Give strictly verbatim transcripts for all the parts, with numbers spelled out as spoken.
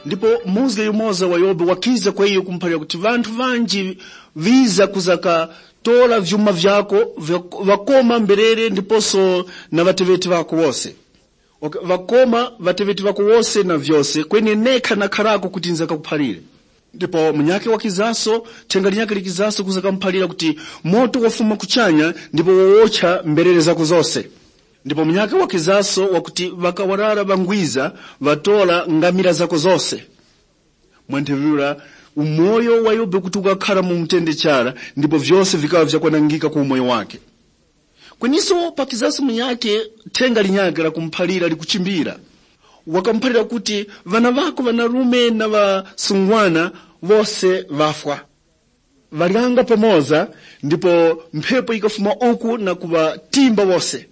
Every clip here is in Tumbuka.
Ndipo muzge yumoza wa Yobe wakiza kwa iyo kumuphalira kuti, vanthu vanji viza kuzakatora vyuma vyako, vya- vakoma mberere ndiposo na ŵateŵeti ŵako wose. Okay, vakoma ŵateŵeti ŵako wose na vyose, kweni nekha nakharako kuti nzakakuphalire. Ndipo munyakhe wakizaso, thenga linyakhe likizaso kuza kamuphalira kuti, moto wafuma kuchanya ndipo wowocha mberere zako zose. Ndipo munyakhe wakizaso wakuti, ŵakawarara ŵangwiza ŵatora ngamira zako zose. Mwa nthawi yura, umoyo wa Yobe kuti ukakhara mu mutende chara, ndipo vyose vikaŵa vyakwanangika ku umoyo wake. Kweniso pakizaso munyakhe, thenga linyakhe lakumuphalira likuchimbira. Wakamuphalira kuti, ŵana ŵako ŵanarume na ŵasungwana wose ŵafwa. Ŵalyanga pamoza, ndipo mphepo yikafuma uku na kuŵatimba wose.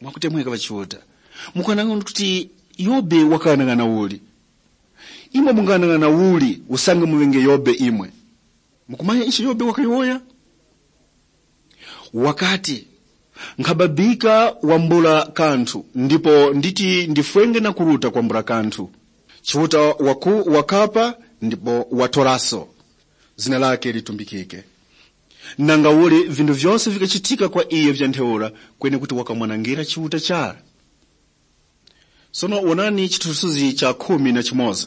Mwakutemweka ŵachiuta, mukwanang'ana kuti Yobe wakang'anang'ana uli? Imwe mungang'anang'ana uli usange muŵenge Yobe imwe? Mukumanya ichi Yobe wakayowoya? Wakati, nkhababika wambula kanthu, ndipo nditi ndifwenge na kuruta kwambula kanthu. Chiuta waku wakapa ndipo watoraso. Zina lake litumbikike. Nanga uli vinthu vyose vikachitika kwa iyo vya ntheura, kweni kuti wakamwanangira Chiuta chara? Sono wonani chithunzithunzi cha khumi na chimoza.